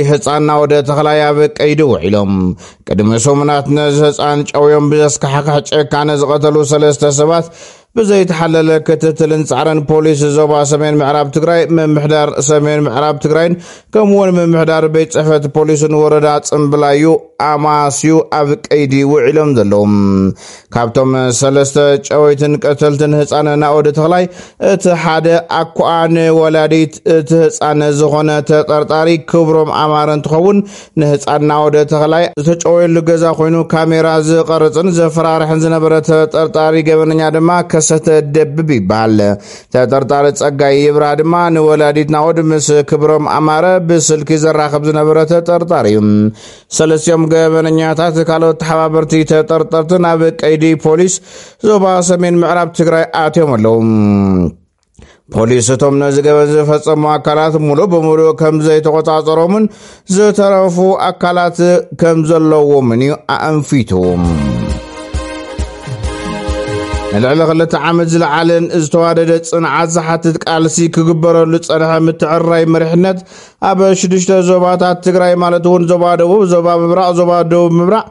ህፃን ናወደ ተኽላይ ኣብ ቀይዲ ውዒሎም። ቅድሚ ሰሙናት ነዚ ህፃን ጨውዮም ብዘስካሕክሕ ጨካነ ዝቐተሉ ሰለስተ ሰባት ብዘይተሓለለ ክትትልን ፃዕርን ፖሊስ ዞባ ሰሜን ምዕራብ ትግራይ፣ ምምሕዳር ሰሜን ምዕራብ ትግራይን ከምኡውን ምምሕዳር ቤት ፅሕፈት ፖሊስን ወረዳ ፅምብላዩ ኣማስዩ ኣብ ቀይዲ ውዒሎም ዘለዉ። ካብቶም ሰለስተ ጨወይትን ቀተልትን ህፃን ናኦድ ተኽላይ እቲ ሓደ ኣኳኣ ንወላዲት እቲ ህፃን ዝኾነ ተጠርጣሪ ክብሮም ኣማረ እንትኸውን፣ ንህፃን ናኦድ ተኽላይ ዝተጨወየሉ ገዛ ኮይኑ ካሜራ ዝቐርፅን ዘፈራርሕን ዝነበረ ተጠርጣሪ ገበነኛ ድማ ከሰተ ደብብ ይበሃል። ተጠርጣሪ ፀጋይ ይብራ ድማ ንወላዲት ናኦድ ምስ ክብሮም ኣማረ ብስልኪ ዘራኽብ ዝነበረ ተጠርጣሪ እዩ። ሰለስቲኦም ገበነኛታት ካልኦት ተሓባበርቲ ተጠርጠርቲ ናብ ቀይዲ ፖሊስ ዞባ ሰሜን ምዕራብ ትግራይ ኣትዮም ኣለዉ። ፖሊስ እቶም ነዚ ገበን ዝፈጸሙ ኣካላት ሙሉእ ብሙሉእ ከም ዘይተቆጻጸሮምን ዝተረፉ ኣካላት ከም ዘለዎምን እዩ ኣእንፊቱ። ንልዕሊ ክልተ ዓመት ዝለዓለን ዝተዋደደ ጽንዓት ዝሓትት ቃልሲ ክግበረሉ ጸንሐ ምትዕርራይ መሪሕነት ኣብ ሽዱሽተ ዞባታት ትግራይ ማለት እውን ዞባ ደቡብ፣ ዞባ ምብራቕ፣ ዞባ ደቡብ ምብራቕ፣